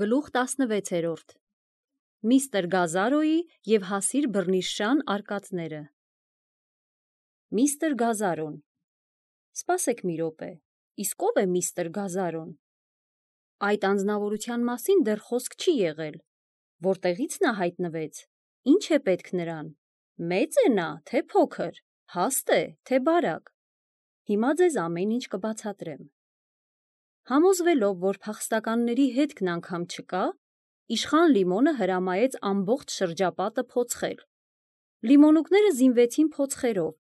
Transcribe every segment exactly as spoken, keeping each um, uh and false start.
Գլուխ տասնվեցերորդ Միստր Գազարոյի և հասիր բռնիշան արկածները Միստր Գազարոն Սպասեք մի րոպե, իսկ ով է միստր Գազարոն: Այդ անձնավորության մասին դեռ խոսք չի եղել: Որտեղից նա հայտնվեց, ինչ է պետք նրան: Մե՞ծ է նա, թե փոքր, հաստ է, թե բարակ: Հիմա ձեզ ամեն ինչ կբացատրեմ: Համոզվելով, որ փախստականների հետքն անգամ չկա, իշխան Լիմոնը հրամայեց ամբողջ շրջապատը փոցխել: Լիմոնուկները զինվեցին փոցխերով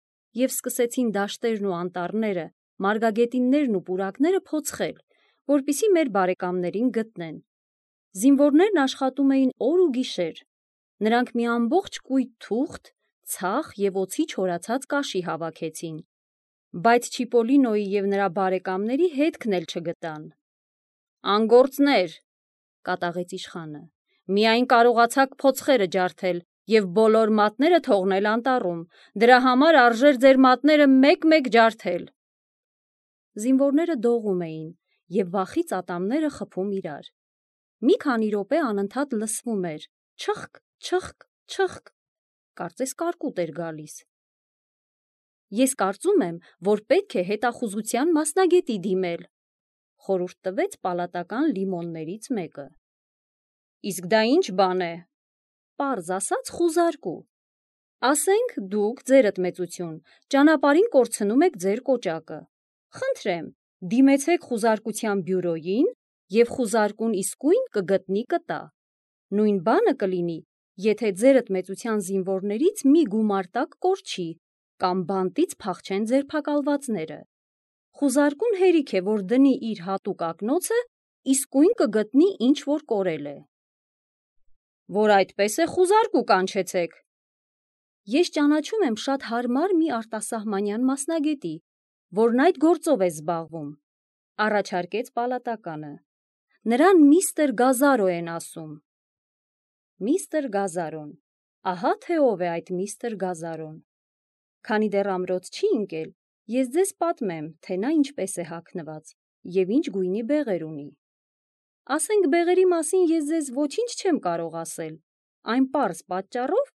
և սկսեցին դաշտերն ու անտառները, մարգագետիններն ու պուրակները փոցխել, որպեսզի մեր բարեկամներին գտնեն: Զինվորներն աշխատում էին օր ու գիշեր: Նրանք մի ամբողջ կույտ թուղթ, ցախ և օձի չորացած կաշի հավաքեցին, բայց Չիպոլինոյի և նրա բարեկամների հետքն էլ չգտան: «Անգործնե՛ր,» կատաղեց իշխանը, «միայն կարողացաք փոցխերը ջարդել և բոլոր մատները թողնել անտառում: Դրա համար արժեր ձեր մատները մեկ-մեկ ջարդել»: Զինվորները դողում էին և վախից ատամները խփում իրար: Մի քանի րոպե անընդհատ լսվում էր չըխկ, չըխկ, չըխկ, կարծես կարկուտ էր գալիս: «Ես կարծում եմ, որ պետք է հետախուզության մասնագետի դիմել», խորհուրդ տվեց պալատական լիմոններից մեկը: «Իսկ դա ի՞նչ բան է»: «Պարզ ասած խուզարկու: Ասենք, դուք, ձերդ մեծություն, ճանապարհին կորցնում եք ձեր կոճակը: Խնդրեմ, դիմեցեք խուզարկության բյուրոյին և խուզարկուն իսկույն կգտնի կտա: Նույն բանը կլինի, եթե ձերդ մեծության զինվորներից մի գումար տակ կորչի կամ բանտից փախչեն ձերբակալվածները: Խուզարկուն հերիք է, որ դնի իր հատուկ ակնոցը, իսկույն կգտնի ինչ որ կորել է»: «Որ այդպես է, խուզարկու կանչեցեք»: «Ես ճանաչում եմ շատ հարմար մի արտասահմանյան մասնագետի, որն այդ գործով է զբաղվում», առաջարկեց պալատականը: «Նրան միստր Գազարո են ասում»: Միստր Գազարոն: Ահա թե ով է այդ միստր Գազարոն: Քանի դեռ ամրոց չի ընկել, ես ձեզ պատմեմ, թե նա ինչպես է հագնված և ինչ գույնի բեղեր ունի: Ասենք, բեղերի մասին ես ձեզ ոչինչ չեմ կարող ասել, այն պարզ պատճառով,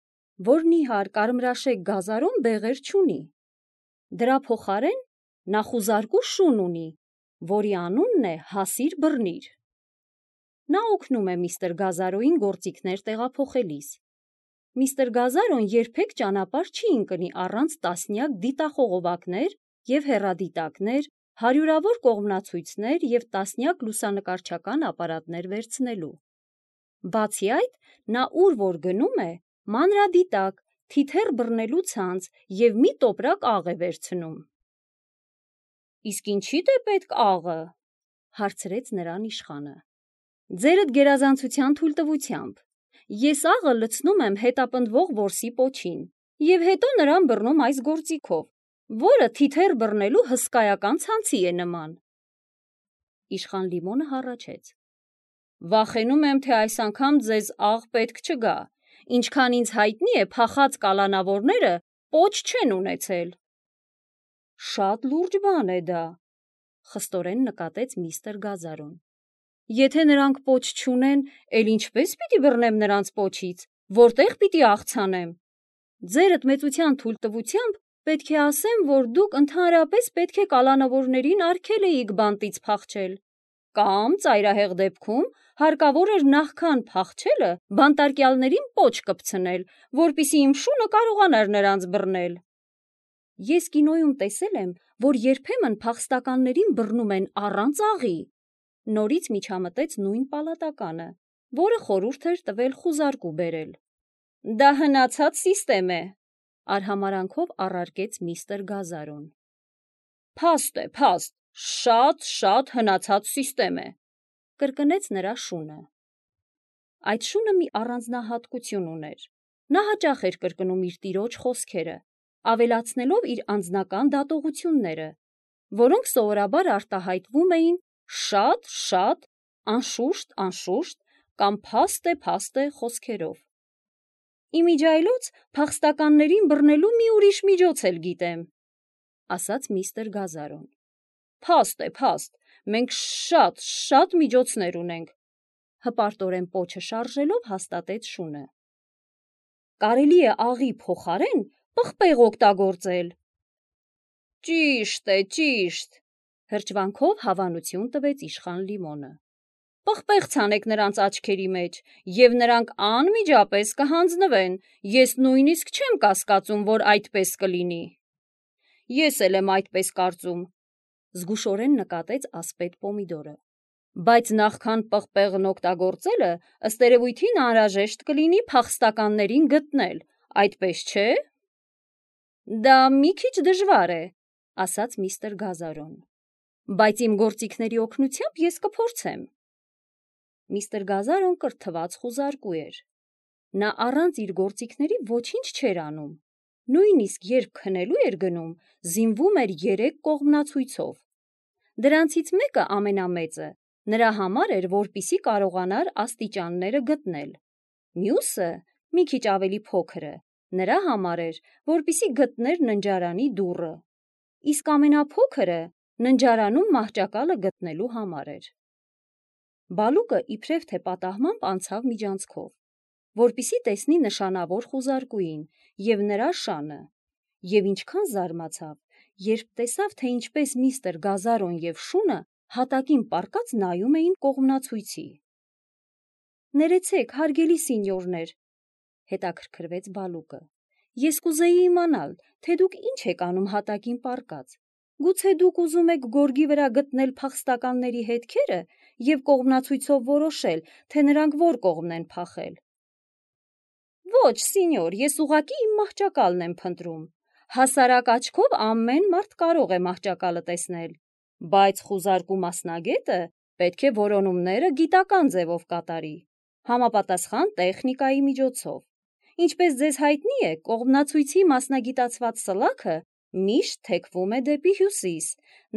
որ նիհար կարմրաշեկ Գազարոն բեղեր չունի: Դրա փոխարեն նա խուզարկու շուն ունի, որի անունն է Հասիր բռնիր: Նա օգնում է միստր Գազարոյին գործիքներ տեղափոխելիս: Միստր Գազարոն երբեք ճանապարհ չի ընկնի առանց տասնյակ դիտախողովակներ և հեռադիտակներ, հարյուրավոր կողմնացույցներ և տասնյակ լուսանկարչական ապարատներ վերցնելու: Բացի այդ, նա ուր որ գնում է, մանրադիտակ, թիթեռ բռնելու ցանց և մի տոպրակ աղ է վերցնում: «Իսկ ինչիդ է պետք աղը»: հարցրեց նրան իշխանը: «Ձերդ գերազանցության թույլտվությամբ: Ես աղը լցնում եմ հետապնդվող որսի պոչին և հետո նրան բռնում այս գործիքով, որը թիթեռ բռնելու հսկայական ցանցի է նման»: Իշխան Լիմոնը հառաչեց. «Վախենում եմ, թե այս անգամ ձեզ աղ պետք չգա: Ինչքան ինձ հայտնի է, փախած կալանավորները պոչ չեն ունեցել»: «Շատ լուրջ բան է դա», խստորեն նկատեց միստր Գազարոն: «Եթե նրանք պոչ չունեն, էլ ինչպե՞ս պիտի բռնեմ նրանց պոչից, որտե՞ղ պիտի աղցանեմ: Ձերդ մեծության թույլտվությամբ պետք է ասեմ, որ դուք ընդհանրապես պետք է կալանավորներին արգել էիք բանտից փախչել: Կամ, ծայրահեղ դեպքում, հարկավոր էր նախքան փախչելը բանտարկյալներին պոչ կպցնել, որպեսզի իմ շունը կարողանար նրանց բռնել»: «Ես կինոյում տեսել եմ, որ երբեմն փախստականներին բռնում են առանց աղի», նորից միջամտեց նույն պալատականը, որը խորհուրդ էր տվել խուզարկու բերել: «Դա հնացած սիստեմ է», արհամարհանքով առարկեց միստր Գազարոն: «Փաստ է, փաստ, շատ, շատ հնացած սիստեմ է», կրկնեց նրա շունը: Այդ շունը մի առանձնահատկություն ուներ: Նա հաճախ էր կրկնում իր տիրոջ խոսքերը, ավելացնելով իր անձնական դատողությունները, որոնք սովորաբար արտահայտվում էին «շատ, շատ», «անշուշտ, անշուշտ» կամ «փաստ է, փաստ է» խոսքերով: «Ի միջի այլոց փախստականներին բռնելու մի ուրիշ միջոց էլ գիտեմ», ասաց միստր Գազարոն: «Փաստ է, փաստ, մենք շատ, շատ միջոցներ ունենք: հպարտորեն պոչը շարժելով հաստատեց շունը։ Կարելի է աղի փոխարեն պղպեղ օգտագործել։ Ճիշտ է, ճիշտ, հրճվանքով հավանություն տվեց իշխան Լիմոնը։ Պղպեղ ցանեք նրանց աչքերի մեջ, եւ նրանք անմիջապես կհանձնվեն, ես նույնիսկ չեմ կասկածում, որ այդպես կլինի։ Ես էլ եմ այդպես կարծում, զգուշորեն նկատեց ասպետ Պոմիդորը, բայց նախքան պղպեղն օգտագործելը, ըստ երևույթին անհրաժեշտ կլինի փախստականներին գտնել, այդպես չէ։ Դա մի քիչ դժվար է, ասաց միստր Գազարոն, բայց իմ գործիքների օգնությամբ ես կփորձեմ։ Միստր Գազարոն կրթված խուզարկու էր։ Նա առանց իր գործիքների ոչինչ չէր անում։ Նույնիսկ երբ քնելու էր գնում, զինվում էր երեք կողմնացույցով։ Դրանցից մեկը ամենամեծը նրա համար էր, որպիսի կարողանար աստիճանները գտնել։ Մյուսը, մի քիչ ավելի փոքրը, նրա համար էր, որպիսի գտներ ննջարանի դուռը, իսկ ամենափոքրը ննջարանում մահճակալը գտնելու համար էր։ Բալուկը իբրև թե պատահմամբ անցավ միջանցքով, որպիսի տեսնի նշանավոր խուզարկուին և նրա շանը, և ինչքան զարմացավ, երբ տեսավ, թե ինչպես միստր Գազարոն և շունը հատակին պառկած նայում էին կողմնացույցի։ Ներեցեք, հարգելի սինյորներ, հետաքրքրվեց Բալուկը, ես կուզեի իմանալ, թե դուք ինչ եք անում հատակին պառկած, գուցե դուք ուզում եք գորգի վրա գտնել փախստականների հետքերը և կողմնացույցով որոշել, թե նրանք որ կողմն են փախել։ Ոչ, սինյոր, ես ուղղակի իմ մահճակալն եմ փնտրում։ Հասարակ աչքով ամեն մարդ կարող է մահճակալը տեսնել, բայց խուզարկու մասնագետը պետք է որոնումները գիտական ձևով կատարի, համապատասխան տեխնիկայի միջոցով։ Ինչպես ձեզ հայտնի է, կողմնացույցի մասնագիտացված սլաքը միշտ թեքվում է դեպի հյուսիս,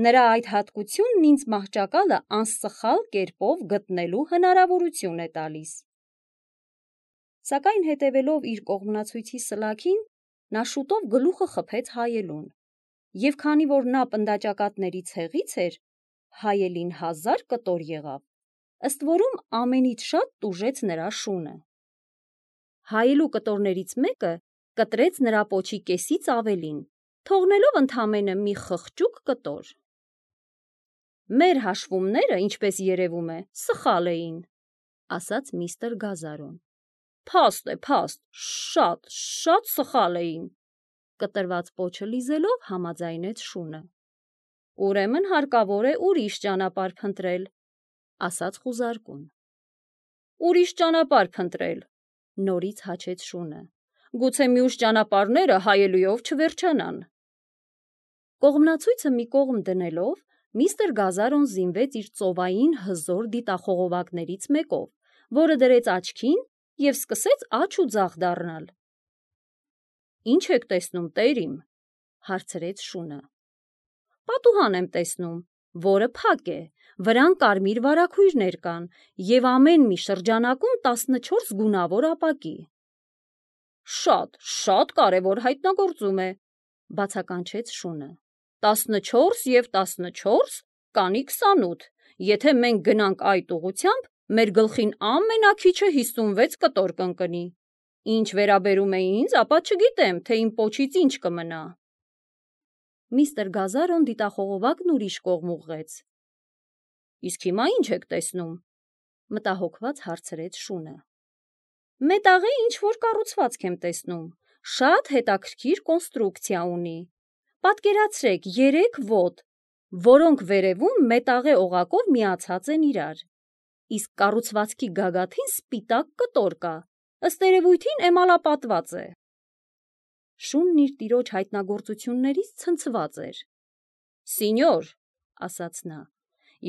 նրա այդ հատկությունն ինձ մահճակալը անսխալ կերպով գտնելու հնարավորություն է տալիս։ Սակայն հետևելով իր կողմնացույցի սլաքին, նա շուտով գլուխը խփեց հայելուն, և քանի որ նա պնդաճակատների ցեղից էր, հայելին հազար կտոր եղավ, ըստ որում ամենից շատ տուժեց նրա շունը։ Հայելու կտորներից մեկը կտրեց նրա պոչի կեսից ավելին, թողնելով ընդամենը մի խղճուկ կտոր։ Մեր հաշվումները, ինչպես երևում է, սխալ էին, ասաց միստր Գազարոն։ Փաստ է, փաստ, շատ, շատ սխալ էին, կտրված պոչը լիզելով համաձայնեց շունը։ Ուրեմն հարկավոր է ուրիշ ճանապարհ փնտրել, ասաց խուզարկուն։ Ուրիշ ճանապարհ փնտրել, նորից հաչեց շունը։ Գուցե մյուս ճանապարհները հայելուով չվերջանան։ Կողմնացույցը մի կողմ դնելով, միստր Գազարոն զինվեց իր ծովային հզոր դիտախողովակներից մեկով, որը դրեց աչքին և սկսեց աջ ու ձախ դառնալ։ Ինչ եք տեսնում, տերիմ, հարցրեց շունը։ Պատուհան եմ տեսնում, որը փակ է, վրան կարմիր վարագույրներ կան և ամեն մի շրջանակում տասնչորս գունավոր ապակի։ Շատ, շատ կարևոր հայտնագործում է, բացականչեց շունը։ Տասնչորս և տասնչորս կանի քսանութ, եթե մենք գնանք այդ ուղղությամբ, մեր գլխին ամենաքիչը հիսունվեց կտոր կընկնի։ Ինչ վերաբերում է ինձ, ապա չգիտեմ, թե իմ պոչից ինչ կմնա։ Միստր Գազարոն դիտախողովակն ուրիշ կողմ ուղղեց։ Իսկ հիմա ինչ եք տեսնում, մտահոգված հարցրեց շունը։ Մետաղե ինչ-որ կառուցվածք եմ տեսնում, շատ հետաքրքիր կոնստրուկցիա ունի։ Պատկերացրեք երեք ոտ, որոնք վերևում մետաղե օղակով միացած են իրար, իսկ կառուցվածքի գագաթին սպիտակ կտոր կա, ըստ երևույթին էմալապատված է։ Շունն իր տիրոջ հայտնագործություններից ցնցված էր։ Սինյոր, ասաց նա,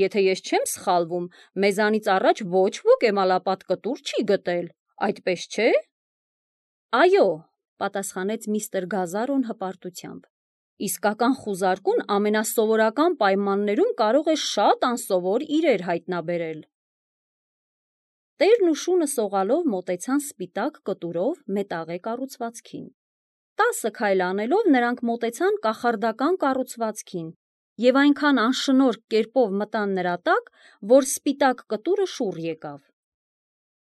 եթե ես չեմ սխալվում, մեզանից առաջ ոչ ոք էմալապատ կտոր չի գտել, այդպես չէ։ Այո, պատասխանեց միստր Գազարոն հպարտությամբ, իսկական խուզարկուն ամենասովորական պայմաններում կարող է շատ անսովոր իրեր հայտնաբերել։ Տերն ու շունը սողալով մոտեցան սպիտակ կտուրով մետաղե կառուցվածքին։ Տասը քայլ անելով նրանք մոտեցան կախարդական կառուցվածքին և այնքան անշնորհք կերպով մտան նրա տակ, որ սպիտակ կտուրը շուռ եկավ։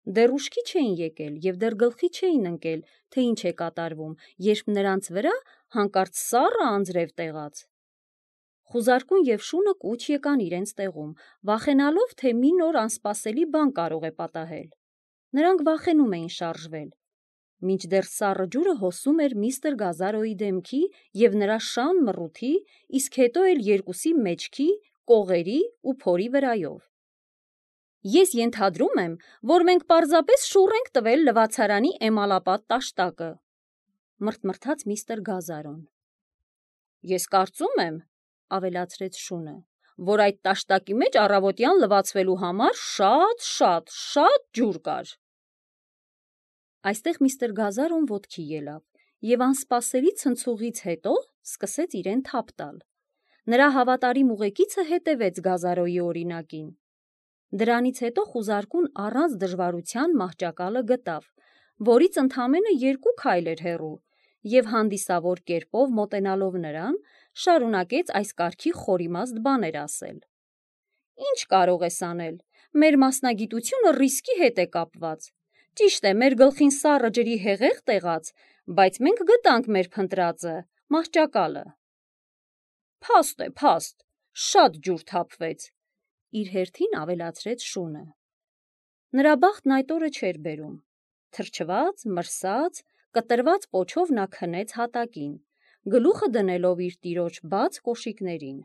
Դեռ ուշքի չէին եկել և դեռ գլխի չէին ընկել, թե ինչ է կատարվում, երբ նրանց վրա հանկարծ սառը անձրև տեղաց։ Խուզարկուն և շունը կուչ եկան իրենց տեղում, վախենալով, թե մի նոր անսպասելի բան կարող է պատահել։ Նրանք վախենում էին շարժվել, մինչդեռ սառը ջուրը հոսում էր միստր Գազարոյի դեմքի և նրա շան մռութի, իսկ հետո էլ երկուսի մեջքի, կողերի ու փորի վրայով։ Ես ենթադրում եմ, որ մենք պարզապես շուռ ենք տվել լվացարանի էմալապատ տաշտակը, մռթմռթաց միստր Գազարոն։ Ես կարծում եմ, ավելացրեց շունը, որ այդ տաշտակի մեջ առավոտյան լվացվելու համար շատ, շատ, շատ ջուր կար։ Այստեղ միստր Գազարոն ոտքի ելավ և անսպասելի ցնցուղից հետո սկսեց իրեն թափ տալ։ Նրա հավատարիմ ուղեկիցը հետևեց Գազարոյի օրինակին։ Դրանից հետո խուզարկուն առանց դժվարության մահճակալը գտավ, որից ընդամենը երկու քայլ էր հեռու, և հանդիսավոր կերպով մոտենալով նրան, շարունակեց այս կարգի խորիմաստ բաներ ասել. «Ինչ կարող ես անել, մեր մասնագիտությունը ռիսկի հետ է կապված։ Ճիշտ է, մեր գլխին սառը ջրի հեղեղ տեղաց, բայց մենք գտանք մեր փնտրածը, մահճակալը»։ Փաստ է, փաստ, շատ ջուր թափվեց, իր հերթին ավելացրեց շունը։ Նրա բախտն այդ օրը չէր բերում։ Թրջված, մրսած, կտրված պոչով նա քնեց հատակին, գլուխը դնելով իր տիրոջ բաց կոշիկներին։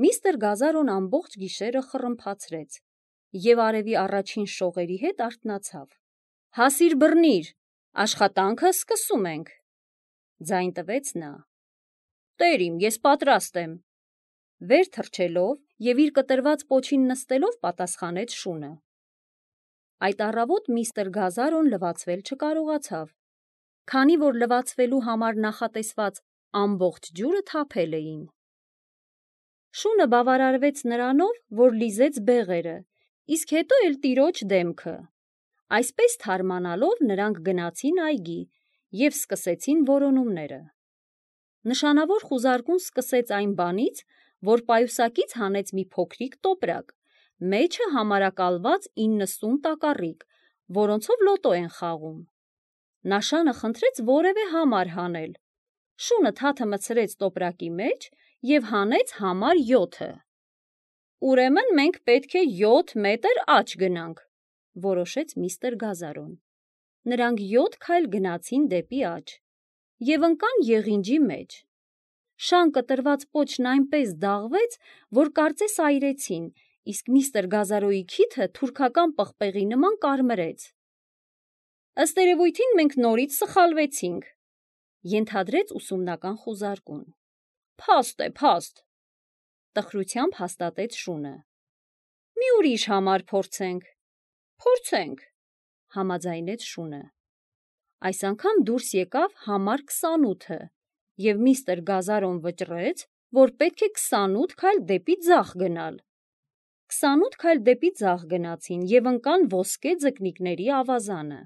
Միստր Գազարոն ամբողջ գիշերը խռմփացրեց և արևի առաջին շողերի հետ արթնացավ։ «Հասիր բռնիր, աշխատանքը սկսում ենք», ձայն տվեց նա։ «Տեր իմ, ես պատրաստ եմ», վեր թռչելով և իր կտրված պոչին նստելով պատասխանեց շունը։ Այդ առավոտ միստր Գազարոն լվացվել չկարողացավ, քանի որ լվացվելու համար նախատեսված ամբողջ ջուրը թափել էին։ Շունը բավարարվեց նրանով, որ լիզեց բեղերը, իսկ հետո էլ տիրոջ դեմքը։ Այսպես թարմանալով նրանք գնացին այգի և սկսեցին որոնումները։ Նշանավոր խուզարկուն սկսեց այն բանից, որ պայուսակից հանեց մի փոքրիկ տոպրակ, մեջը համարակալված իննսուն տակառիկ, որոնցով լոտո են խաղում։ Նաշանը խնդրեց որևէ համար հանել։ Շունը թաթը մտցրեց տոպրակի մեջ և հանեց համար յոթը։ «Ուրեմն մենք պետք է յոթ մետր աջ գնանք», որոշեց միստր Գազարոն։ Նրանք յոթ քայլ գնացին դեպի աջ և ընկան եղինջի մեջ։ Շան կտրված պոչն այնպես դաղվեց, որ կարծես այրեցին, իսկ միստր Գազարոյի քիթը թուրքական պղպեղի նման կարմրեց։ «Ըստ երևույթին մենք նորից սխալվեցինք», ենթադրեց ուսումնական խուզարկուն։ «Փաստ է, փաստ», տխրությամբ հաստատեց շունը։ «Մի ուրիշ համար փորձենք»։ «Փորձենք», համաձայնեց շունը։ Այս անգամ դուրս եկավ համար քսանութը, և միստր Գազարոն վճռեց, որ պետք է քսանութ քայլ դեպի ձախ գնալ։ Քսանութ քայլ դեպի ձախ գնացին և ընկան ոսկե ձկնիկների ավազանը։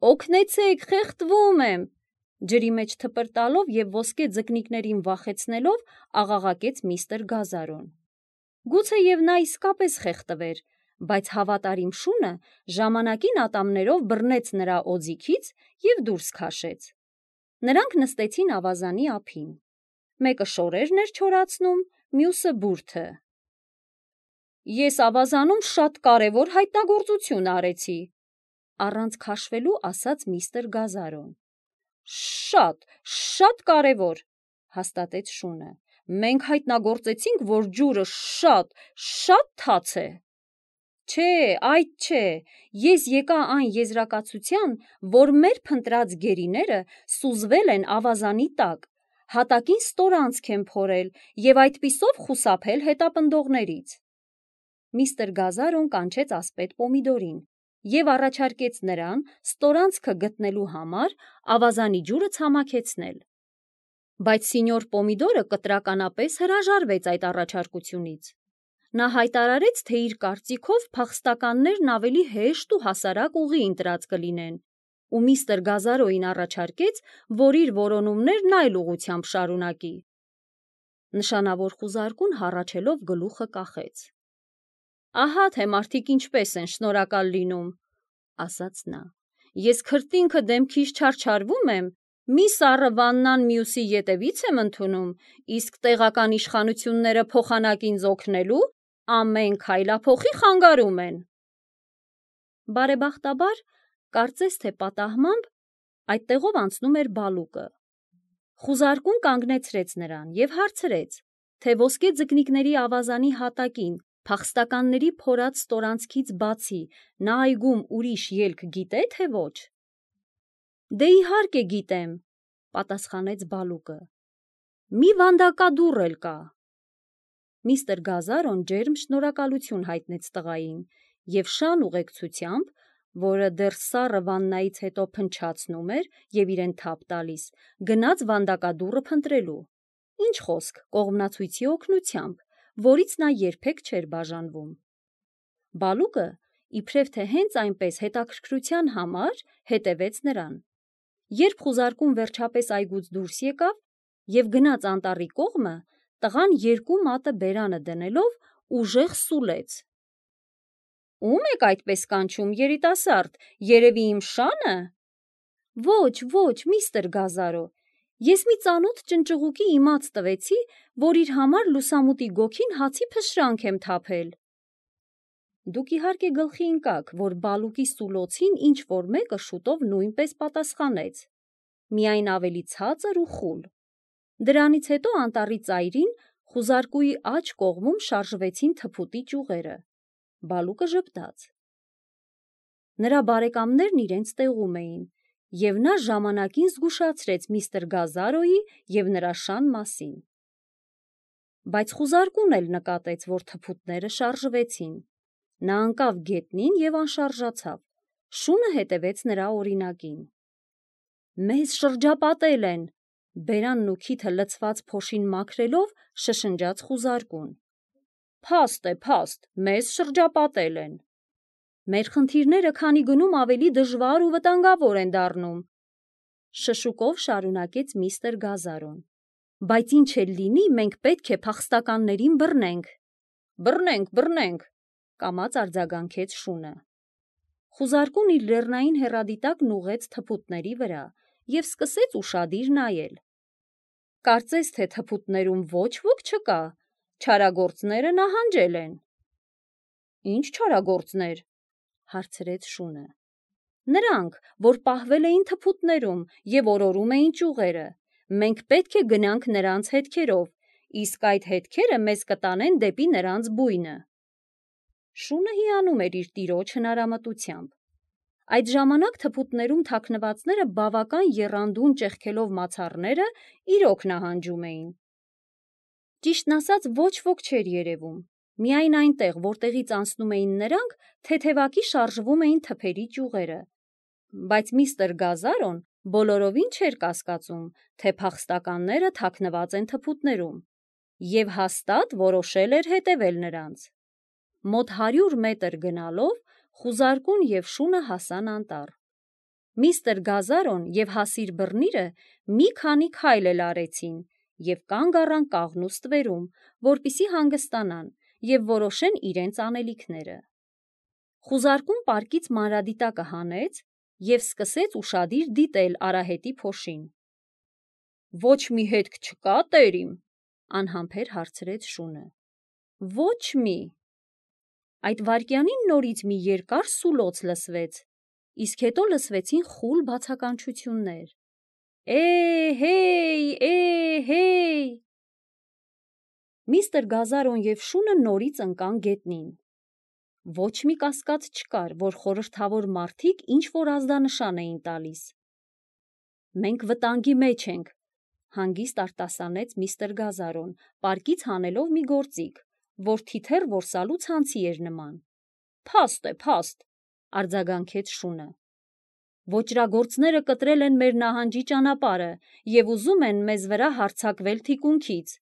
«Օգնեցե՛ք, խեղդվում եմ», ջրի մեջ թպրտալով և ոսկե ձկնիկներին վախեցնելով աղաղակեց միստր Գազարոն։ Գուցեև նա իսկապես խեղդվեր, բայց հավատարիմ շունը ժամանակին ատամներով բռնեց նրա օձիքից և դուրս քաշեց։ Նրանք նստեցին ավազանի ափին։ Մեկը շորերն էր չորացնում, մյուսը բուրդը։ «Ես ավազանում շատ կարևոր հայտնագործություն արեցի», առանց քաշվելու ասաց միստր Գազարոն։ «Շատ, շատ կարևոր», հաստատեց շունը։ «Մենք հայտնագործեցինք, որ ջուրը շատ, շատ թաց է»։ «Չէ, այդ չէ, ես եկա այն եզրակացության, որ մեր փնտրած գերիները սուզվել են ավազանի տակ, հատակին ստորանցք են փորել և այդպիսով խուսափել հետապնդողներից»։ Միստր Գազարոն կանչեց ասպետ Պոմիդորին և առաջարկեց նրան ստորանցքը գտնելու համար ավազանի ջուրը ցամաքեցնել։ Բայց սինյոր Պոմիդորը կտրականապես հրաժարվեց այդ առաջարկությունից։ Նա հայտարարեց, թե իր կարծիքով փախստականներն ավելի հեշտ ու հասարակ ուղի ընտրած կլինեն, ու միստր Գազարոյին առաջարկեց, որ իր որոնումներն այլ ուղղությամբ շարունակի։ Նշանավոր խուզարկուն հառաչելով գլուխը կախեց։ Ահա թե մարդիկ ինչպես են շնորհակալ լինում, ասաց նա։ Ես քրտինքը դեմքիս չարչարվում եմ, մի սառը վաննան մյուսի ետևից եմ ընդունում, իսկ տեղական իշխանությունները փոխանակին օգնելու ամեն քայլափոխի խանգարում են։ Բարեբախտաբար, կարծես թե պատահմամբ, այդտեղով անցնում էր Բալուկը։ Խուզարկուն կանգնեցրեց նրան և հարցրեց, թե ոսկե ձկնիկների ավազանի հատակին փախստականների փորած ստորանցքից բացի նա այգում ուրիշ ելք գիտե, թե ոչ։ Դե իհարկե գիտեմ, պատասխանեց Բալուկը։ Մի վանդակադուռ էլ կա։ Միստր Գազարոն ջերմ շնորհակալություն հայտնեց տղային և շան ուղեկցությամբ, որը դեռ սառը վաննայից հետո փնչացնում էր և իրեն թափ տալիս, գնաց վանդակադուռը փնտրելու։ Ինչ խոսք, կողմնացույցի օգնությամբ, որից նա երբեք չէր բաժանվում։ Բալուկը, իբրև թե հենց այնպես հետաքրքրության համար, հետևեց նրան։ Երբ խուզարկուն վերջապես այգուց դուրս եկավ և գնաց անտառի կողմը, տղան երկու մատը բերանը դնելով ուժեղ սուլեց։ Ո՞ւմ եք այդպես կանչում, երիտասարդ, երևի իմ շա՞նը։ Ոչ, ոչ, միստր Գազարո, ես մի ծանոթ ճնճղուկի իմաց տվեցի, որ իր համար լուսամուտի գոգին հացի փշրանք եմ թափել։ Դուք իհարկե գլխի ընկաք, որ Բալուկի սուլոցին ինչ-որ մեկը շուտով նույնպես պատասխանեց, միայն ավելի ցածր ու խուլ։ Դրանից հետո անտառի ծայրին խուզարկուի աջ կողմում շարժվեցին թփուտի ճյուղերը։ Բալուկը ժպտաց։ Նրա բարեկամներն իրենց տեղում էին, և նա ժամանակին զգուշացրեց միստր Գազարոյի և նրա շան մասին։ Բայց խուզարկուն էլ նկատեց, որ թփուտները շարժվեցին։ Նա ընկավ գետնին և անշարժացավ, շունը հետևեց նրա օրինակին։ Մեզ շրջապատել են, բերանն ու քիթը լցված փոշին մաքրելով շշնջաց խուզարկուն։ Փաստ է, փաստ, մեզ շրջապատել են։ Մեր խնդիրները քանի գնում ավելի դժվար ու վտանգավոր են դառնում, շշուկով շարունակեց միստր Գազարոն։ Բայց ինչ էլ լինի, մենք պետք է փախստականներին բռնենք։ Բռնենք, բռնենք, կամաց արձագանքեց շունը։ Խուզարկուն իր լեռնային հեռադիտակն ուղղեց թփուտների վրա և սկսեց ուշադիր նայել։ Կարծես թե թփուտներում ոչ ոք չկա, չարագործները նահանջել են։ Ինչ չարագործներ, հարցրեց շունը։ Նրանք, որ պահվել էին թփուտներում և օրորում էին ճյուղերը, մենք պետք է գնանք նրանց հետքերով, իսկ այդ հետքերը մեզ կտանեն դեպի նրանց բույնը։ Շունը հիանում էր իր տիրոջ հնարամտությամբ։ Այդ ժամանակ թփուտներում թաքնվածները բավական եռանդուն ճեղքելով մացառները իրոք նահանջում էին։ Ճիշտն ասած, ոչ ոք չէր երևում, միայն այնտեղ, որտեղից անցնում էին նրանք, թեթևակի շարժվում էին թփերի ճյուղերը, բայց միստր Գազարոն բոլորովին չէր կասկածում, թե փախստականները թաքնված են թփուտներում, և հաստատ որոշել էր հետևել նրանց։ Մոտ հարյուր մետր գնալով խուզարկուն և շունը հասան անտառ։ Միստր Գազարոն և հասիր բռնիրը մի քանի քայլ էլ արեցին և կանգ առան կաղնու ստվերում, որպեսզի հանգստանան և որոշեն իրենց անելիքները։ Խուզարկուն պարկից մանրադիտակը հանեց և սկսեց ուշադիր դիտել արահետի փոշին։ Ոչ մի հետք չկա, տերիմ, անհամբեր հարցրեց շունը։ Ոչ մի։ Այդ վայրկյանին նորից մի երկար սուլոց լսվեց, իսկ հետո լսվեցին խուլ բացականչություններ։ Է՜հեյ, է՜հեյ։ Միստր Գազարոն և շունը նորից ընկան գետնին։ Ոչ մի կասկած չկար, որ խորհրդավոր մարդիկ ինչ-որ ազդանշան էին տալիս։ Մենք վտանգի մեջ ենք, հանգիստ արտասանեց միստր Գազարոն, պարկից հանելով մի գործիք, որ թիթեռ որսալու ցանցի էր նման։ Փաստ է, փաստ, արձագանքեց շունը։ Ոճրագործները կտրել են մեր նահանջի ճանապարհը և ուզում են մեզ վրա հարձակվել թիկունքից։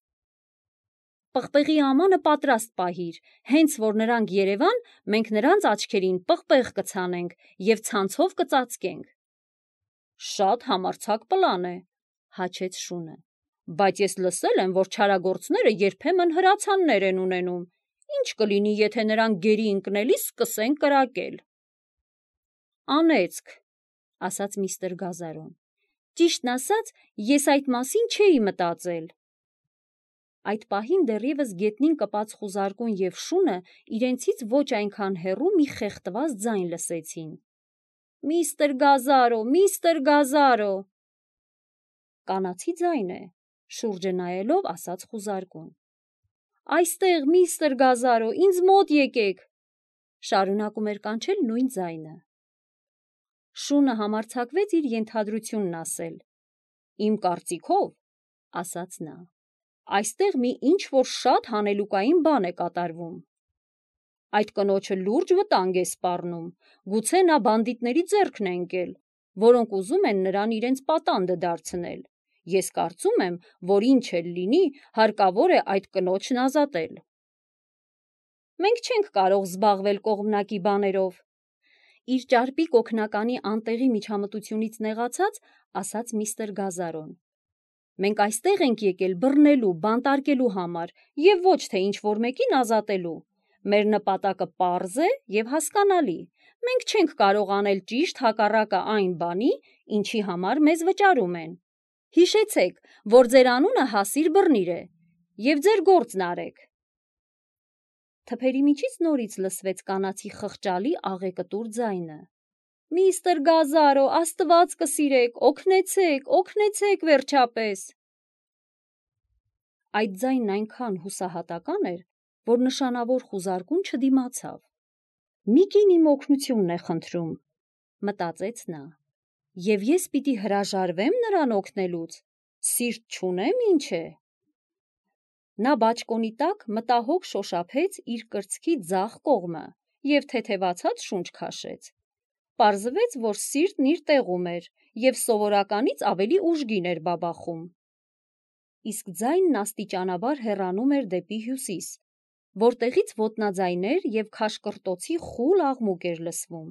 Պղպեղի ամանը պատրաստ պահիր, հենց որ նրանք երևան, մենք նրանց աչքերին պղպեղ կցանենք և ցանցով կծածկենք։ Շատ համարձակ պլան է, հաչեց շունը, բայց ես լսել եմ, որ չարագործները երբեմն հրացաններ են ունենում, Ինչ կլինի, եթե նրան գերի ընկնելիս սկսեն կրակել։ Անեծք, ասաց միստր Գազարոն։ Ճիշտն ասած, ես այդ մասին չէի մտածել։ Այդ պահին դեռևս գետնին կպած խուզարկուն և շունը իրենցից ոչ այնքան հեռու մի խեղդված ձայն լսեցին։ Միստր Գազարո, միստր Գազարո։ Կանացի ձայն է, շուրջը նայելով ասաց խուզարկուն։ Այստեղ, միստր Գազարո, ինձ մոտ եկեք, շարունակում էր կանչել նույն ձայնը։ Շունը համարձակվեց իր ենթադրությունն ասել։ Իմ կարծիքով, ասաց նա, այստեղ մի ինչ-որ շատ հանելուկային բան է կատարվում։ Այդ կնոջը լուրջ վտանգ է սպառնում, գուցե նա բանդիտների ձեռքն է ընկել, որոնք ուզում են նրան իրենց պատանդը դարձնել։ Ես կարծում եմ, որ ինչ էլ լինի, հարկավոր է այդ կնոջն ազատել։ Մենք չենք կարող զբաղվել կողմնակի բաներով, իր ճարպիկ օգնականի անտեղի միջամտությունից նեղացած, ասաց միստր Գազարոն։ Մենք այստեղ ենք եկել բռնելու, բանտարկելու համար և ոչ թե ինչ-որ մեկին ազատելու։ Մեր նպատակը պարզ է և հասկանալի։ Մենք չենք կարող անել ճիշտ հակառակը այն բանի, ինչի համար մեզ վճարում են։ Հիշեցեք, որ ձեր անունը Հասիր Բռնիր է, և ձեր գործն արեք։ Թփերի միջից նորից լսվեց կանացի խղճալի աղեկտուր ձայնը։ Միստր Գազարո, Աստված կսիրեք, օգնեցեք, օգնեցեք վերջապես։ Այդ ձայնն այնքան հուսահատական էր, որ նշանավոր խուզարկուն չդիմացավ։ Մի կին իմ օգնությունն է խնդրում, մտածեց նա, և ես պիտի հրաժարվեմ նրան օգնելուց, սիրտ չունեմ, ինչ է։ Նա բաճկոնի տակ մտահոգ շոշափեց իր կրծքի ձախ կողմը և թեթևացած շունչ քաշեց։ Պարզվեց, որ սիրտն իր տեղում էր և սովորականից ավելի ուժգին էր բաբախում։ Իսկ ձայնն աստիճանաբար հեռանում էր դեպի հյուսիս, որտեղից ոտնաձայներ և քաշկրտոցի խուլ աղմուկ էր լսվում։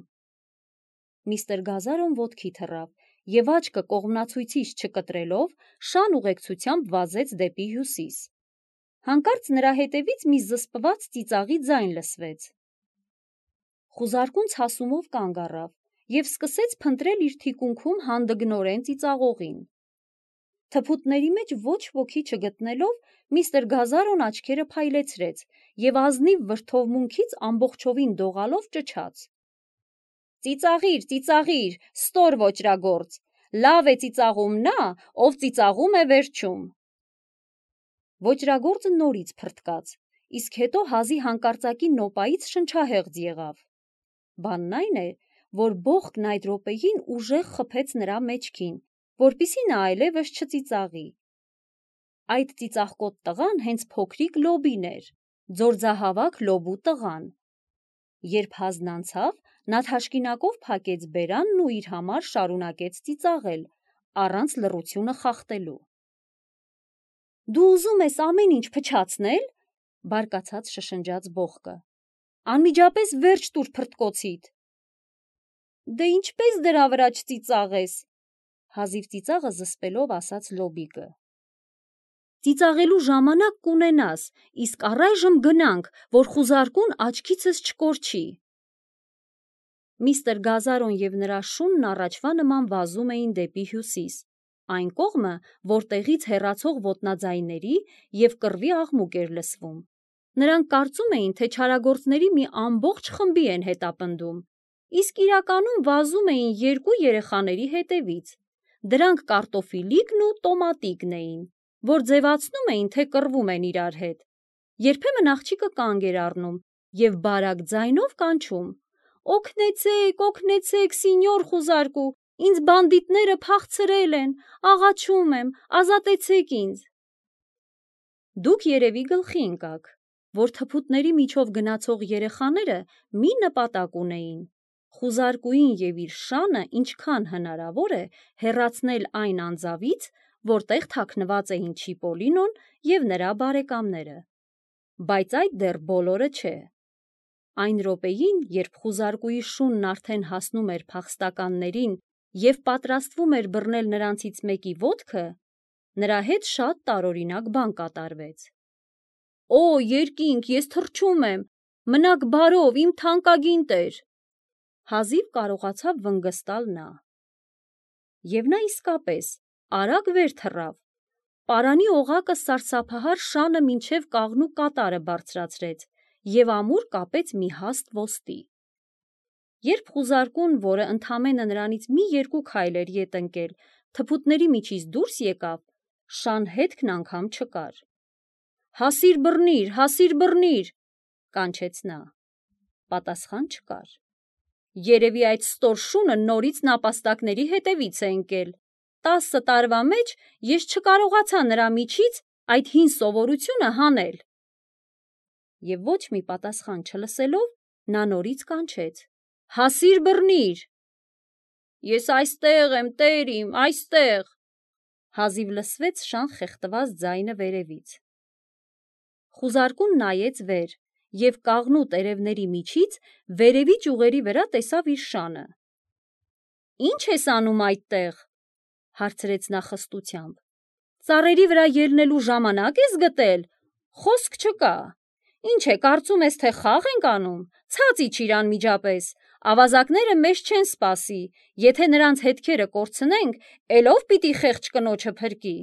Միստր Գազարոն ոտքի թռավ և աչքը կողմնացույցից չկտրելով շան ուղեկցությամբ վազեց դեպի հյուսիս։ Հանկարծ նրա հետևից մի զսպված ծիծաղի ձայն լսվեց։ Խուզարկուն ցասումով կանգ առավ և սկսեց փնտրել իր թիկունքում հանդգնորեն ծիծաղողին։ Թփուտների մեջ ոչ ոքի չգտնելով, միստր Գազարոն աչքերը փայլեցրեց և ազնիվ վրդովմունքից ամբողջովին դողալով ճչաց. Ծիծաղիր, ծիծաղիր, ստոր ոճրագործ, լավ է ծիծաղում նա, ով ծիծաղում է վերջում։ Ոճրագործը նորից փռթկաց, իսկ հետո հազի հանկարծակի նոպայից շնչահեղձ եղավ։ Բանն այն է, որ բողոքն այդ րոպեին ուժեղ խփեց նրա մեջքին, որպեսզի նա այլևս չծիծաղի։ Այդ ծիծաղկոտ տղան հենց փոքրիկ Լոբին էր, ձորձահավաք Լոբու տղան։ Երբ հազն անցավ, նա թաշկինակով փակեց բերանն ու իր համար շարունակեց ծիծաղել, առանց լռությունը խախտելու։ Դու ուզում ես ամեն ինչ փչացնե՞լ, բարկացած շշնջաց բողոքը։ Անմիջապես վերջ տուր փռթկոցիդ։ Դե ինչպես դրա վրա չծիծաղես, հազիվ ծիծաղը զսպելով ասաց Լոբիկը։ Ծիծաղելու ժամանակ կունենաս, իսկ առայժմ գնանք, որ խուզարկուն աչքիցս չկորչի։ Միստր Գազարոն և նրա շունն առաջվա նման վազում էին դեպի հյուսիս, այն կողմը, որտեղից հեռացող ոտնաձայների և կռվի աղմուկ էր լսվում։ Նրանք կարծում էին, թե չարագործների մի ամբողջ խմբի են հետապնդում, իսկ իրականում վազում էին երկու երեխաների հետևից։ Դրանք կարտոֆիլիկն ու տոմատիկն էին, որ ձևացնում էին, թե կռվում են իրար հետ։ Երբեմն աղջիկը կանգ էր առնում և բարակ ձայնով կանչում. Օգնեցեք, օգնեցեք, սինյոր խուզարկու, ինձ բանդիտները փախցրել են, աղաչում եմ, ազատեցեք ինձ։ Դուք երևի գլխի ընկաք, որ թփուտների միջով գնացող երեխաները մի նպատակ ունեին՝ խուզարկուին և իր շանը ինչքան հնարավոր է հեռացնել այն անձավից, որտեղ թաքնված էին Չիպոլինոն և նրա բարեկամները։ Բայց այդ դեռ բոլորը չէ։ Այն րոպեին, երբ խուզարկուի շունն արդեն հասնում էր փախստականներին և պատրաստվում էր բռնել նրանցից մեկի ոտքը, նրա հետ շատ տարօրինակ բան կատարվեց։ Օ, երկինք, ես թռչում եմ, մնաք բարով, իմ թանկագին տեր, հազիվ կարողացավ վնգստալ նա։ Եվ նա իսկապես արագ վեր թռավ, պարանի օղակը սարսափահար շանը մինչև կաղնու կատարը բարձրացրեց և ամուր կապեց մի հաստ ոստի։ Երբ խուզարկուն, որը ընդամենը նրանից մի երկու քայլ էր ետ ընկել, թփուտների միջից դուրս եկավ, շան հետքն անգամ չկար։ «Հասիր բռնիր, հասիր բռնիր», կանչեց նա։ Պատասխան չկար։ Երևի այդ ստոր շունը նորից նապաստակների հետևից է ընկել։ Տասը տարվա մեջ ես չկարողացա նրա միջից այդ հին սովորությունը հանել։ Եվ ոչ մի պատասխան չլսելով, նա նորից կանչեց. «Հասիր բռնիր»։ «Ես այստեղ եմ, տեր իմ, այստեղ», հազիվ լսվեց շան խեղդված ձայնը վերևից։ Խուզարկուն նայեց վեր և կաղնու տերևների միջից վերևի ճյուղերի վրա տեսավ իր շանը։ «Ի՞նչ ես անում այդտեղ», հարցրեց նա խստությամբ։ «Ծառերի վրա ելնելու ժամանակ ես գտել, խոսք չկա։ Ինչ է, կարծում ես, թե խաղ ենք անում, ցած իջիր անմիջապես, ավազակները մեզ չեն սպասի, եթե նրանց հետքերը կորցնենք, էլ ով պիտի խեղճ կնոջը փրկի»։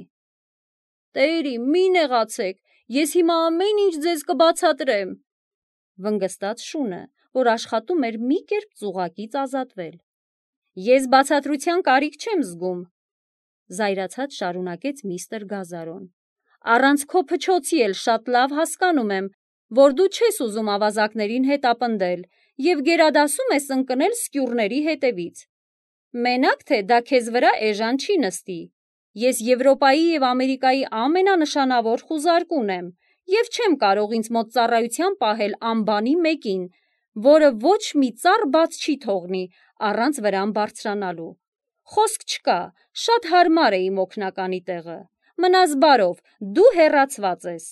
«Տեր իմ, մի նեղացեք, ես հիմա ամեն ինչ ձեզ կբացատրեմ», վնգստաց շունը, որ աշխատում էր մի կերպ ծուղակից ազատվել։ «Ես բացատրության կարիք չեմ զգում», զայրացած շարունակեց միստր Գազարոն։ «Առանց քո փչոցի էլ շատ լավ հասկանում եմ, որ դու չես ուզում ավազակներին հետապնդել և գերադասում ես ընկնել սկյուռների հետևից։ Մենակ թե դա քեզ վրա էժան չի նստի։ Ես Եվրոպայի և Ամերիկայի ամենանշանավոր խուզարկուն եմ և չեմ կարող ինձ մոտ ծառայության պահել անբանի մեկին, որը ոչ մի ծառ բաց չի թողնի առանց վրան բարձրանալու։ Խոսք չկա, շատ հարմար է իմ օգնականի տեղը։ Մնաս բարով, դու հեռացված ես»։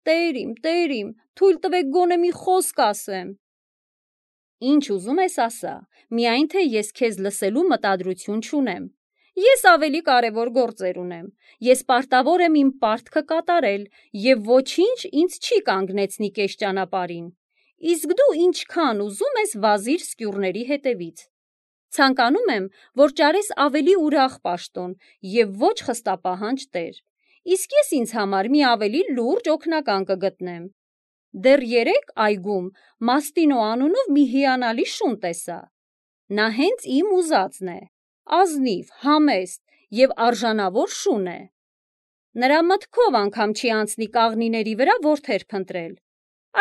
«Տեր իմ, տեր իմ, թույլ տվեք գոնե մի խոսք ասեմ»։ «Ինչ ուզում ես ասա, միայն թե ես քեզ լսելու մտադրություն չունեմ։ Ես ավելի կարևոր գործեր ունեմ։ Ես պարտավոր եմ իմ պարտքը կատարել և ոչինչ ինձ չի կանգնեցնի կես ճանապարհին։ Իսկ դու ինչքան ուզում ես վազիր սկյուռների հետևից։ Ցանկանում եմ, որ ճարես ավելի ուրախ պաշտոն և ոչ խստապահանջ տեր, իսկ ես ինձ համար մի ավելի լուրջ օգնական կգտնեմ։ Դեռ երեկ այգում Մաստինո անունով մի հիանալի շուն տեսա։ Նա հենց իմ ուզածն է, ազնիվ, համեստ և արժանավոր շուն է։ Նրա մտքով անգամ չի անցնի կաղնիների վրա որդեր փնտրել։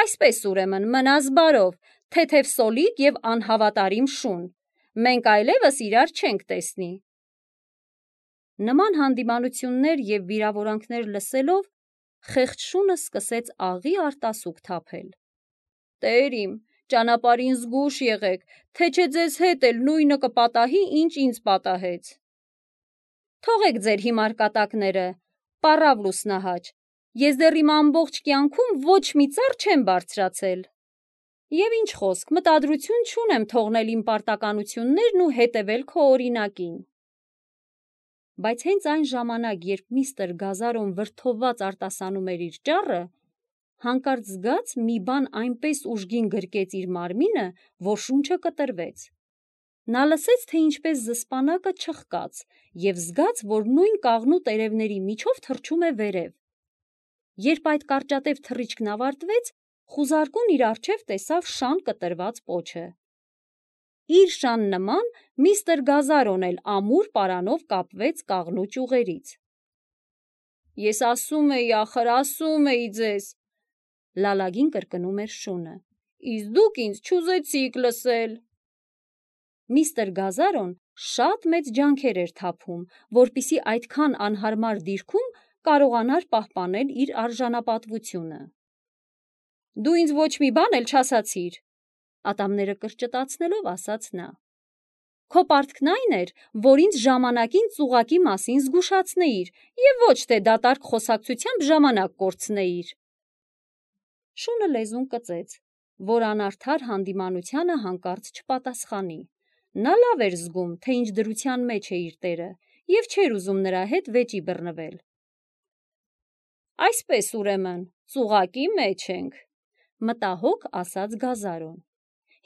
Այսպես ուրեմն, մնաս բարով, թեթև սոլիկ և անհավատարիմ շուն։ Մենք այլևս իրար չենք տեսնի»։ Նման հանդիմանություններ և վիրավորանքներ լսելով, խեղճ շունը սկսեց աղի արտասուք թափել։ «Տեր իմ, ճանապարհին զգույշ եղեք, թե չէ ձեզ հետ էլ նույնը կպատահի, ինչ ինձ պատահեց»։ «Թողեք ձեր հիմար կատակները, պառավ լուսնահաճ, ես դեռ իմ ամբողջ կյանքում ոչ մի ծառ չեմ բարձրացել։ Եվ ինչ խոսք, մտադրություն չունեմ թողնել իմ պարտականություններն ու հետևել քո օրինակին»։ Բայց հենց այն ժամանակ, երբ միստր Գազարոն վրդովված արտասանում էր իր ճառը, հանկարծ զգաց մի բան այնպես ուժգին գրկեց իր մարմինը, որ շունչը կտրվեց։ Նա լսեց, թե ինչպես զսպանակը չխկաց և զգաց, որ նույն կաղնու տերևների միջով թռչում է վերև։ Երբ այդ կարճատև թռիչքն ավարտվեց, խուզարկուն իր առջև տեսավ շան կտրված պոչը։ Իր շան նման միստր Գազարոն էլ ամուր պարանով կապվեց կաղնու ճյուղերից։ «Ես ասում էի, ախր, ասում էի ձեզ», լալագին կրկնում էր շունը, «իսկ դուք ինձ չուզեցիք լսել»։ Միստր Գազարոն շատ մեծ ջանքեր էր թափում, որպեսզի այդքան անհարմար դիրքում կարողանար պահպանել իր արժանապատվությունը։ «Դու ինձ ոչ մի բան էլ չասացիր», ատամները կրճտացնելով ասաց նա։ «Քո պարտքն այն էր, որ ինձ ժամանակին ծուղակի մասին զգուշացնեիր և ոչ թե դատարկ խոսակցությամբ ժամանակ կորցնեիր»։ Շունը լեզուն կծեց, որ անարդար հանդիմանությանը հանկարծ չպատասխանի։ Նա լավ էր զգում, թե ինչ դրության մեջ է իր տերը, և չէր ուզում նրա հետ վեճի բռնվել։ «Այսպես ուրեմն, Ծուղակի մեջ ենք, մտահոգ ասաց Գազարոն։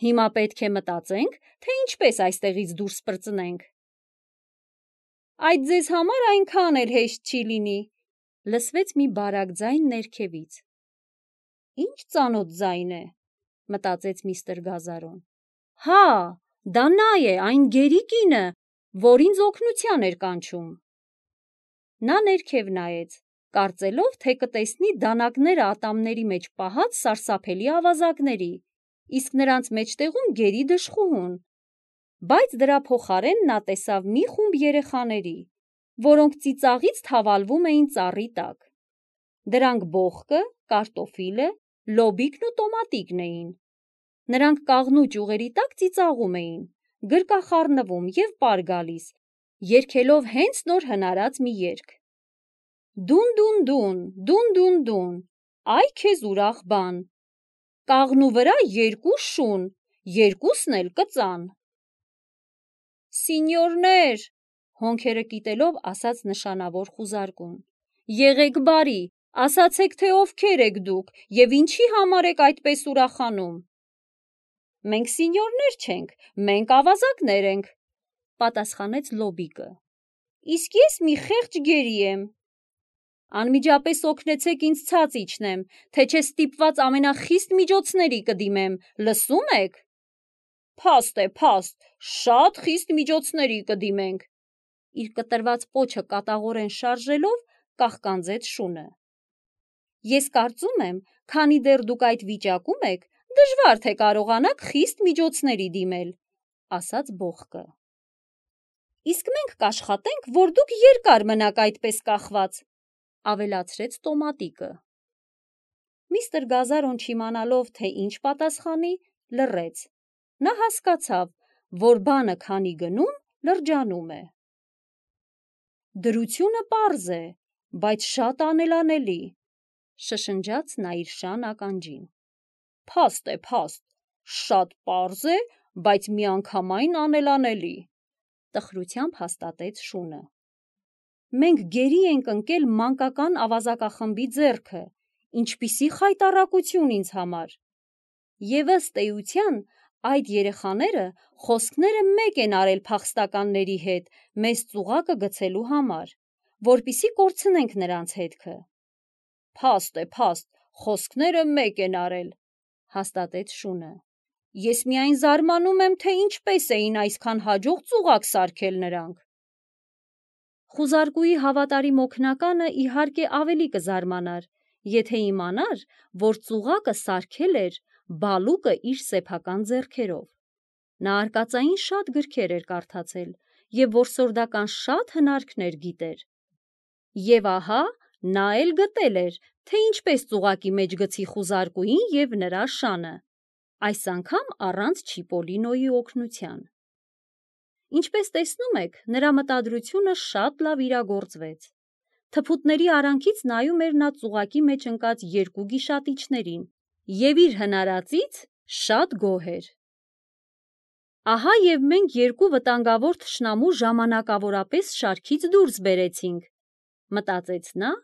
Հիմա պետք է մտածենք, թե ինչպես այստեղից դուրս պրծնենք։ Այդ ձեզ համար այնքան էլ հեշտ չի լինի, լսվեց մի բարակ ձայն ներքևից։ Ինչ ծանոթ ձայն է, մտածեց միստր Գազարոն։ Հա, դա նա է, այն գերի կինը, որ ինձ օգնության էր կանչում։ Նա ներքև նայեց, կարծելով, թե կտեսնի դանակները ատամների մեջ պահած սարսափելի ավազակների, իսկ նրանց մեջտեղում գերի դժխուհուն, բայց դրա փոխարեն նա տեսավ մի խումբ երեխաների, որոնք ծիծաղից թավալվում էին ծառի տակ։ Դրանք բոխկը, կարտոֆիլը, լոբիկն ու տոմատիկն էին։ Նրանք կաղնու ճյուղերի տակ ծիծաղում էին, գրկախառնվում և պար գալիս, երգելով հենց նոր հնարած մի երգ. Դուն-դուն-դուն, դուն-դուն-դուն, այ քեզ ուրախ բան, կաղնու վրա երկու շուն, երկուսն էլ կծան։ Սինյորներ, հոնքերը կիտելով ասաց նշանավոր խուզարկուն, եղեք բարի, ասացեք, թե ովքեր եք դուք և ինչի համար եք այդպես ուրախանում։ Մենք սինյորներ չենք, մենք ավազակներ ենք, պատասխանեց Լոբիկը։ Իսկ ես մի խեղճ գերի եմ։ Անմիջապես օգնեցեք ինձ ցած իջնեմ, թե չէ ստիպված ամենախիստ միջոցների կդիմեմ, լսում եք։ Փաստ է, փաստ, շատ խիստ միջոցների կդիմենք, իր կտրված պոչը կատաղորեն շարժելով կաղկանձեց շունը։ Ես կարծում եմ, քանի դեռ դուք այդ վիճակում եք, դժվար թե կարողանաք խիստ միջոցների դիմել, ասաց բոխկը։ Իսկ մենք կաշխատենք, որ դուք երկար մնաք այդպես կախված, ավելացրեց տոմատիկը։ Միստր Գազարոն չիմանալով, թե ինչ պատասխանի, լռեց։ Նա հասկացավ, որ բանը քանի գնում, լրջանում է։ Դրությունը պարզ է, բայց շատ անելանելի, շշնջաց նա իր շան ականջին։ Փաստ է, փաստ, շատ պարզ է, բայց միանգամայն անելանելի, տխրությամբ հաստատեց շունը։ Մենք գերի ենք ընկել մանկական ավազակախմբի ձեռքը, ինչպիսի խայտառակություն ինձ համար։ Եվ ըստ էության, այդ երեխաները խոսքները մեկ են արել փախստականների հետ մեզ ծուղակը գցելու համար, որպեսզի կորցնենք նրանց հետքը։ Փաստ է, փաստ, խոսքները մեկ են արել, հաստատեց շունը։ Ես միայն զարմանում եմ, թե ինչպես էին այսքան հաջող ծուղակ սարքել նրանք։ Խուզարկուի հավատարիմ օգնականը իհարկե ավելի կզարմանար, եթե իմանար, որ ծուղակը սարքել էր բալուկը իր սեփական ձեռքերով։ Նա արկածային շատ գրքեր էր կարդացել և որսորդական շատ հնարքներ գիտեր։ Եվ ահա նա էլ գտել էր, թե ինչպես ծուղակի մեջ գցի խուզարկուին և նրա շանը, այս անգամ առանց Չիպոլինոյի օգնության։ Ինչպես տեսնում եք, նրա մտադրությունը շատ լավ իրագործվեց։ Թփուտների արանքից նայում էր նա ծուղակի մեջ ընկած երկու գիշատիչներին և իր հնարածից շատ գոհ էր։ Ահա և մենք երկու վտանգավոր թշնամու ժամանակավորապես շարքից դուրս բերեցինք, մտածեց նա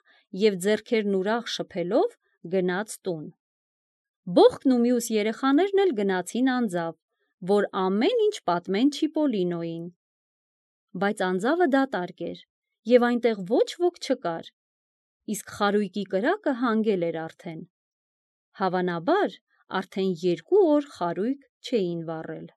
և ձեռքերն ուրախ շփելով գնաց տուն։ Բոխկն ու մյուս երեխաներն էլ գնացին անձավ, որ ամեն ինչ պատմեն Չիպոլինոյին։ Բայց անձավը դատարկ էր, և այնտեղ ոչ ոք չկար, իսկ խարույկի կրակը հանգել էր արդեն։ Հավանաբար, արդեն երկու օր խարույկ չէին վառել։